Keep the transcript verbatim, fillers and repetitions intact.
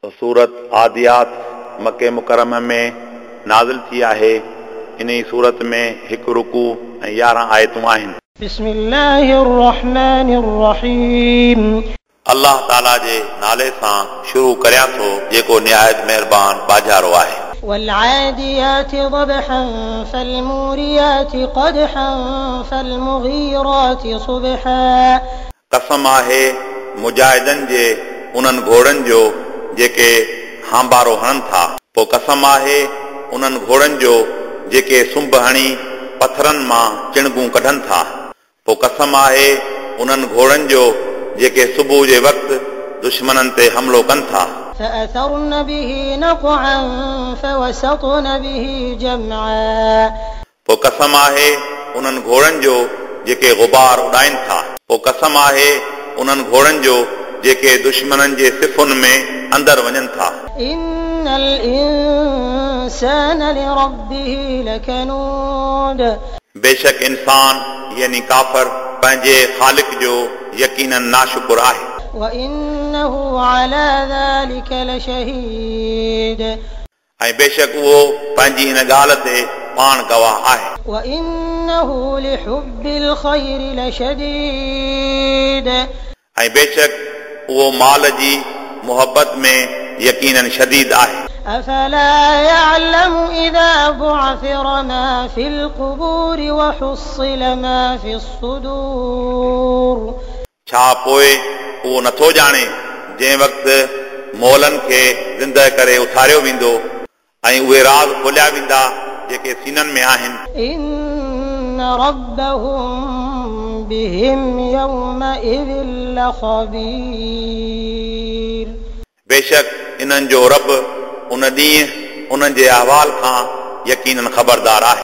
सूरत आदियात मके मुकरम में नाज़िल थी आहे। इन सूरत में हिकु रुकू ऐं यारहं आयतूं आहिनि। बिस्मिल्लाहिर्रहमानिर्रहीम। अल्लाह ताला जे नाले सां शुरू करियां थो जेको निहायत महिरबान बाजारो आहे। والعاديات ضبحا فالموريات قدحا فالمغيرات صبحا। कसम आहे मुजाहिदनि जे उन्हनि घोड़नि जो जेके हांबारो हणनि था। पोइ कसम आहे उन्हनि घोड़नि जो जेके सुंब हणी पथरनि मां चिणगूं कढनि था। पोइ कसम आहे उन्हनि घोड़नि जो जेके सुबुह जे वक़्तु दुश्मननि ते हमलो कनि था। فأثرن به نقعا فوسطن به جمعا। पोइ कसम आहे उन्हनि घोड़नि जो जेके गुबार उॾाइनि था। पोइ कसम आहे उन्हनि घोड़नि जो जेके दुश्मननि जे सिफुनि में अंदरि वञनि था। إن الإنسان لربه لكنود। बेशक इंसान यानी काफर पंहिंजे ख़ालिक जो यकीनन नाशुकुर आहे। وإنه على ذلك لشهيد। ऐं बेशक उहो पंहिंजी इन ॻाल्हि ते पाण गवाह आहे। وإنه لحب الخير لشديد। ऐं बेशक उहो माल जी मुहब्बत में यकीनन शदीद आहे। أفلا يعلم إذا بعثر ما في القبور وحصل ما في الصدور। छा पोइ उहो नथो ॼाणे जंहिं वक़्तु मोलनि खे ज़िंदा करे उथारियो वेंदो ऐं उहे राज़ खोलिया वेंदा जेके सीननि में आहिनि। إن ربهم بهم يومئذ لخبير। बेशक इन्हनि जो रब उन ॾींहुं उन्हनि जे अहवाल खां यकीनन ख़बरदार आहे।